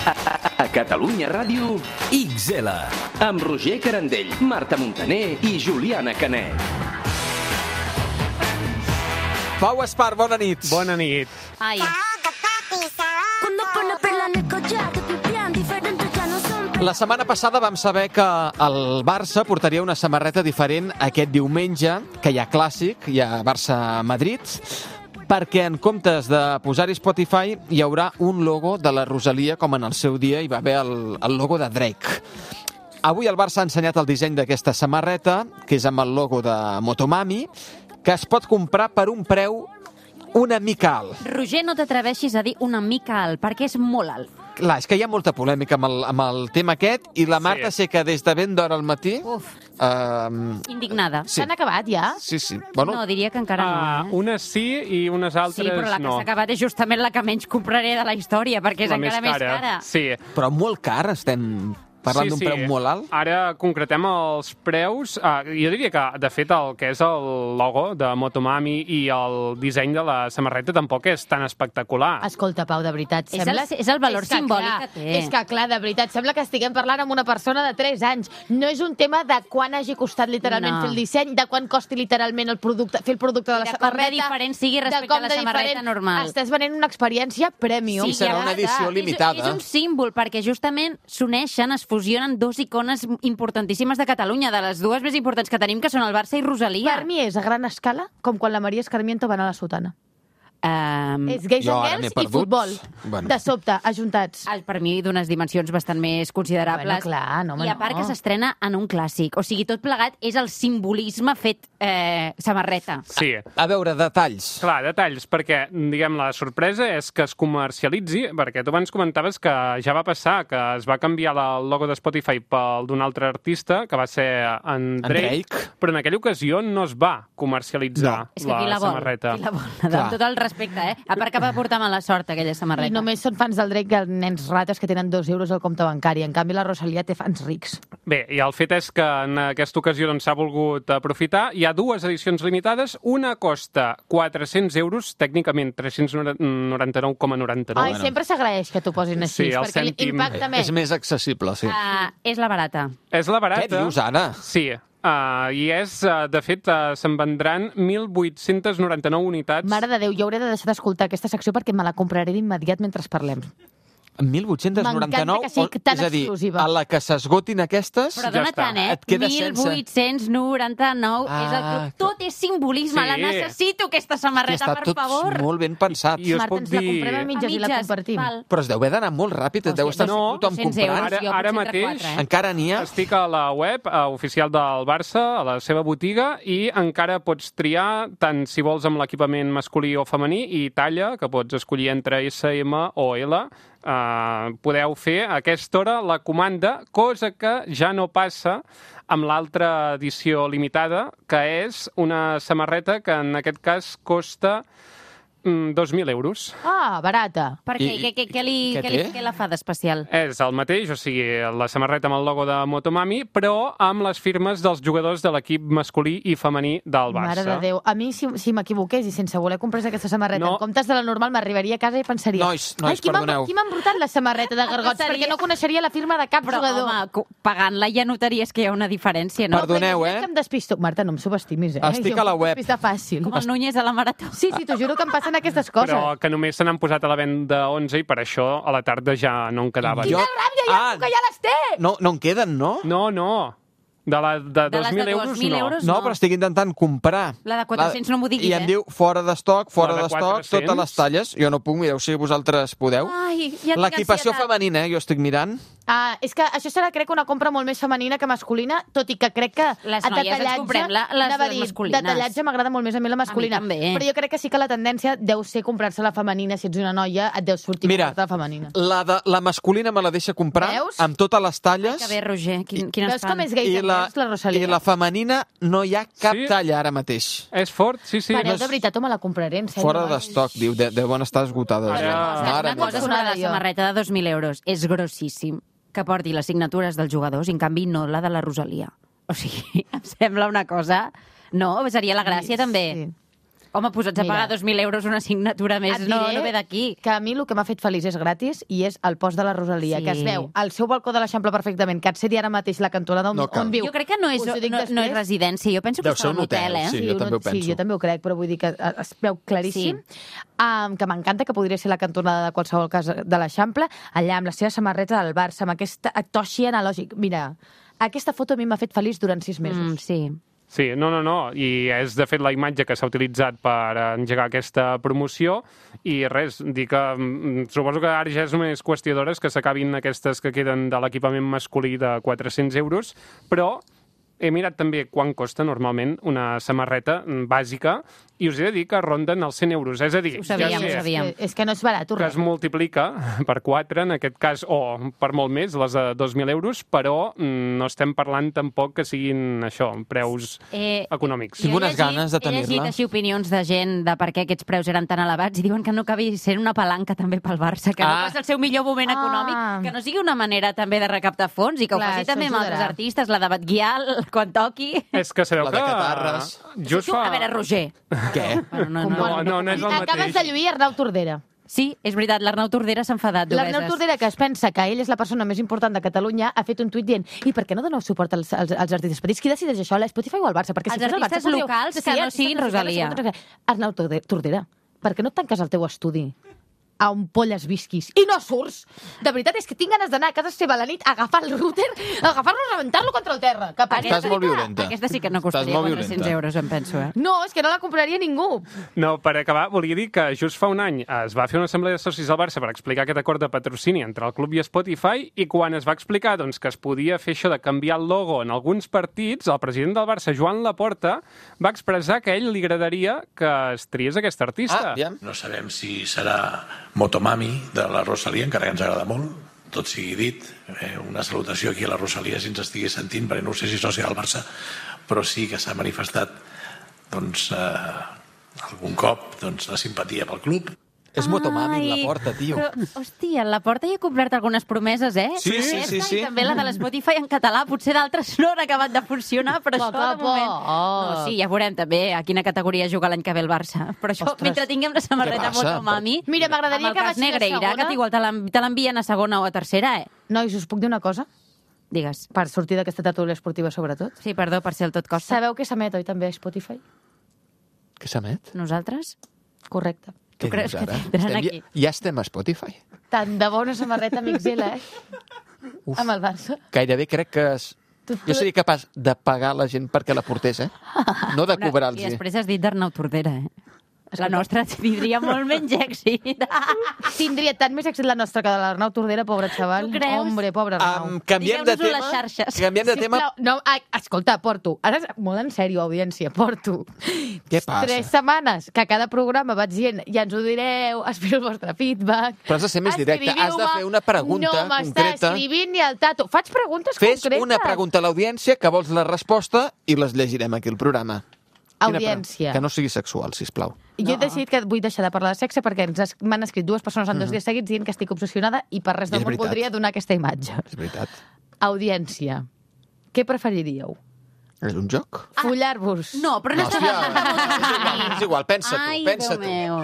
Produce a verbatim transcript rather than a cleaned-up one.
A Catalunya Ràdio, X L. Amb Roger Carandell, Marta Montaner i Juliana Canet. Pau Espar, bona nit. Bona nit. Ai. La setmana passada vam saber que el Barça portaria una samarreta diferent aquest diumenge, que hi ha clàssic, hi ha Barça-Madrid, perquè en comptes de posar-hi Spotify hi haurà un logo de la Rosalia, com en el seu dia hi va haver el, el logo de Drake. Avui el Barça ha ensenyat el disseny d'aquesta samarreta, que és amb el logo de Motomami, que es pot comprar per un preu una mica alt. Roger, no t'atreveixis a dir una mica alt, perquè és molt alt. Clar, és que hi ha molta polèmica amb el, amb el tema aquest, i la Marta sí. sé que des de ben d'hora al matí... Uf, um, indignada. sí. S'han acabat ja? Sí, sí. Bueno, No, diria que encara no. Uh, Eh? unes sí i unes altres Sí, però la que no. s'ha acabat és justament la que menys compraré de la història, perquè és La encara més cara. Sí. però molt car, estem parlant sí, d'un sí. preu molt alt. Ara concretem els preus. Uh, jo diria que, de fet, el que és el logo de Motomami i el disseny de la samarreta tampoc és tan espectacular. Escolta, Pau, de veritat, És sembla... el- és el valor és que, simbòlic clar, que té. És que, clar, de veritat, sembla que estiguem parlant amb una persona de tres anys. No és un tema de quan hagi costat literalment No. fer el disseny, de quan costi literalment el producte, fer el producte de la I de com de samarreta... diferent sigui de respecte com a la de samarreta diferent. normal. Estàs venent una experiència premium. Sí, serà ja una està. edició És- limitada. És, un símbol, perquè justament s'uneixen, es fusionen dos icones importantíssimes de Catalunya, de les dues més importants que tenim, que són el Barça i Rosalia. Per mi és a gran escala com quan la Maria Escarmiento va anar a la sotana. Um, És Gays Jo and ara m'he Girls i perdut. futbol. Bueno. De sobte, ajuntats. per mi d'unes dimensions bastant més considerables. Bueno, clar, no, home, I a part no. que s'estrena en un clàssic. O sigui, tot plegat és el simbolisme fet eh, samarreta. Sí. A veure, detalls. Clar, detalls, perquè, diguem, la sorpresa és que es comercialitzi, perquè tu abans comentaves que ja va passar, que es va canviar el logo de Spotify pel d'un altre artista, que va ser en Drake, En Drake. però en aquella ocasió no es va comercialitzar És que qui la la vol? samarreta. Qui la vol? Clar. Amb tot el respecte, eh? A part que va portar mala sort, aquella samarreta. I només són fans del Drake els nens rates que tenen dos euros al compte bancari. En canvi, la Rosalia té fans rics. Bé, i el fet és que en aquesta ocasió doncs, s'ha volgut aprofitar. Hi ha dues edicions limitades. Una costa quatre-cents euros, tècnicament tres-cents noranta-nou coma noranta-nou. Ai, sempre s'agraeix que t'ho posin així, Sí, el perquè cèntim. impacta més. És més accessible, sí. Uh, és la barata. És la barata. Què dius ara? Sí. Uh, I és, uh, de fet, uh, se'n vendran mil vuit-cents noranta-nou unitats. Mare de Déu, jo hauré de deixar d'escoltar aquesta secció perquè me la compraré d'immediat mentre parlem. mil vuit-cents noranta-nou? M'encanta que sigui tan és a dir, exclusiva. a la que s'esgotin aquestes... Però Ja dona està. tant, eh? Et quedes sense. mil vuit-cents noranta-nou Ah, és el que... Tot és simbolisme. Sí. La necessito, aquesta Que samarreta, està per tot favor. molt ben pensat. I us Marta, puc ens la dir- comprem a mitges, A i la mitges, compartim. val. Però es deu haver d'anar molt ràpid, et deu estar no, tothom dos-cents comprant. euros. Ara, jo ara potser entre mateix quatre, eh? Encara n'hi ha? estic a la web uh, oficial del Barça, a la seva botiga, i encara pots triar tant si vols amb l'equipament masculí o femení i talla, que pots escollir entre essa ema o ele. Uh, podeu fer a aquesta hora la comanda, cosa que ja no passa amb l'altra edició limitada, que és una samarreta que en aquest cas costa mm, dos mil euros. Ah, barata. Per què? I- Què, què, què, li, què què, li, té? què la fa d'especial? És el mateix, o sigui, la samarreta amb el logo de Motomami, però amb les firmes dels jugadors de l'equip masculí i femení del Barça. Mare de Déu. A mi, si, si m'equivoqués i sense voler comprar aquesta samarreta, No. en comptes de la normal, m'arribaria a casa i pensaria... Nois, nois, Ai, qui m'ha- perdoneu. qui m'ha embrutat la samarreta de gargots? Pensaria- Perquè no coneixeria la firma de cap Però, jugador. home, co- pagant-la ja notaries que hi ha una diferència, no? Perdó. Perdoneu, Però eh? Que em despisto. Marta, no em subestimis, eh? Estic Jo a la em web. despista fàcil. Com el Núñez a la marató. Sí, sí, t'ho juro que em passen aquestes coses. Però que només se n'han posat a la venda onze i per això a la tarda ja no en quedaven. Jo- Quina ràbia, ja, Ah. que ja les té! No, no en queden, no? No, no. De, la, de, De dos les mil de euros, dos mil no. euros, No, no. però estic intentant comprar. La de quatre-cents no m'ho diguis, I em eh? diu fora d'estoc, fora La de d'estoc, quatre-cents? totes les talles. Jo no puc, mireu si vosaltres podeu. Ai, ja tinc L'equipació ansietat. femenina, eh, jo estic mirant. Ah, és que això serà, crec, una compra molt més femenina que masculina, tot i que crec que Les a noies ens detallatge... comprem la- les- anava a les dir, masculines. Detallatge m'agrada molt més a mi la masculina. A mi també. Però jo crec que sí que la tendència deu ser comprar-se la femenina. Si ets una noia, et deu sortir Mira, la femenina. la, de, la masculina me la deixa comprar Veus? amb totes les talles. Que bé, Roger, quin, quines Veus fan? com és gay I de la, la, la Rosalia? I la femenina no hi ha cap Sí? talla ara mateix. És fort, sí, sí. Pareu, No de és- veritat, home, la compraré, en sèrio. Fora eh? d'estoc, diu. De, deuen estar esgotades. Ara- ja. Una Mare cosa meva. sobre la jo. samarreta de dos mil euros. És grossíssim que porti les signatures dels jugadors i, en canvi, no la de la Rosalia. O sigui, em sembla una cosa... No, seria la gràcia, també. Sí. Home, posats a Mira. pagar dos mil euros una assignatura més, Et no, diré no ve d'aquí. que a mi el que m'ha fet feliç és gratis i és el post de la Rosalia, Sí. que es veu al seu balcó de l'Eixample perfectament, que et sé dir ara mateix la cantonada on, No cal. on viu. Jo crec que no és, Us ho dic no, no és després. residència, jo penso que Deu està ser en un un hotel, hotel, eh? sí. jo un- també ho penso. Sí, jo també ho crec, però vull dir que eh, es veu claríssim. Sí. Um, que m'encanta, que podria ser la cantonada de qualsevol casa de l'Eixample, allà amb la seva samarreta del Barça, amb aquest toixi analògic. Mira, aquesta foto a mi m'ha fet feliç durant sis mesos. Mm, sí. Sí, no, no, no, i és de fet la imatge que s'ha utilitzat per engegar aquesta promoció i res, dir que mm, suposo que ara ja és només qüestió d'hores que s'acabin aquestes que queden de l'equipament masculí de quatre-cents euros, però he mirat també quan costa normalment una samarreta bàsica i us he de dir que ronden els cent euros, és a dir, Ho sabíem, ja ho sé sabíem. És que, és que no és barat, que es res. multiplica per quatre, en aquest cas, o per molt més, les de dos mil euros, però mm, no estem parlant tampoc que siguin això, preus Eh, econòmics. Tinc Jo he unes llegit- ganes de He llegit tenir-la. Ah. així opinions de gent de per què aquests preus eren tan elevats i diuen que no acabi sent una palanca també pel Barça, que Ah. no passa el seu millor moment Ah. econòmic, que no sigui una manera també de recaptar fons i que Clar, ho faci això també amb altres ajudarà. artistes, la de Batguial, quan toqui. És que sabeu La que... de Catarres. Just Tu, fa... a veure, Roger. Què? Bueno, no, No, no. no, no és el Acabes mateix. de lluir Arnau Tordera. Sí, és veritat, l'Arnau Tordera s'ha enfadat L'Arnau d'Obeses. Tordera, que es pensa que ell és la persona més important de Catalunya, ha fet un tuit dient i per què no doneu suport als, als, als artistes petits? Qui decideix això, la Spotify o el Barça? Perquè Els si fos el Barça, artistes podríeu- locals que no artistes siguin musicals, Rosalia. si fos- Arnau Torde- Tordera, per què no et tanques al teu estudi a on polles visquis i no surts? De veritat, és que tinc ganes d'anar a casa seva a la nit, a agafar el router, a agafar-lo i rebentar-lo contra el terra. Que pari. Estàs molt violenta. Aquesta sí que no Estàs costaria molt quatre-cents violenta. euros, em penso, eh? No, és que no la compraria ningú. No, per acabar, volia dir que just fa un any es va fer una assemblea de socis del Barça per explicar aquest acord de patrocini entre el club i Spotify i quan es va explicar doncs, que es podia fer això de canviar el logo en alguns partits, el president del Barça, Joan Laporta, va expressar que a ell li agradaria que es triés aquest artista. Ah, aviam. No sabem si serà Motomami de la Rosalia, encara que ens agrada molt, tot sigui dit. Eh, una salutació aquí a la Rosalia si ens estigui sentint, perquè no sé si és sòcia del Barça, però sí que s'ha manifestat doncs, eh, algun cop doncs, la simpatia pel club. És Motomami, Ai, la porta, tio. Però, hòstia, la porta ja ha complert algunes promeses, eh? Sí, sí, Aquesta sí, sí. I també la de l'Spotify en català. Potser d'altres no han acabat de funcionar, però Poc això a de moment... poc. No, sí, ja veurem també a quina categoria juga l'any que ve el Barça. Però això, Ostres. mentre tinguem la samarreta Què passa? Motomami... Mira, m'agradaria amb el que cas baixés a Negreira, segona. que igual te l'en- te l'envien a segona o a tercera, eh? Nois, us puc dir una cosa? Digues. Per sortir d'aquesta tertúlia esportiva, sobretot. Sí, perdó, per ser el tot costa. Sabeu que s'emet, oi, també a Spotify? Què s'emet? Nosaltres? Correcte. Què creus dius que ara? tindran Estem- aquí? Ja estem a Spotify. Tant de bona samarreta Mixela, eh? Uf. Amb el Barça. Gairebé crec que... Es... Tu- Jo seria capaç de pagar la gent perquè la portés, eh? No de I cobrar-los. després has dit d'Arnau Tordera, eh? La nostra tindria molt menys èxit. Tindria tant més èxit la nostra que de l'Arnau Tordera, pobre xaval. Tu creus? Hombre, pobre Arnau. Um, canviem de Digueu-nos-ho a tema. les xarxes. Canviem de tema. Sisplau, no, ah, escolta, porto. Ara, és molt en sèrio, audiència, porto. Què passa? Tres setmanes que a cada programa vaig dient ja ens ho direu, espero el vostre feedback. Però has de ser més directe, has de fer una pregunta no m'està concreta. escrivint ni el tato. Faig preguntes Fes concretes. una pregunta a l'audiència que vols la resposta i les llegirem aquí al programa. Quina pre- Audiència. Que no sigui sexual, sisplau. Jo he decidit que vull deixar de parlar de sexe perquè ens es- m'han escrit dues persones en dos dies seguits dient que estic obsessionada i per res del És món veritat. podria donar aquesta imatge. És veritat. Audiència. Què preferiríeu? És un joc? Follar-vos? No, però no, No, estava... hòstia, és igual, és igual, pensa tu, Ai, pensa Déu tu. meu.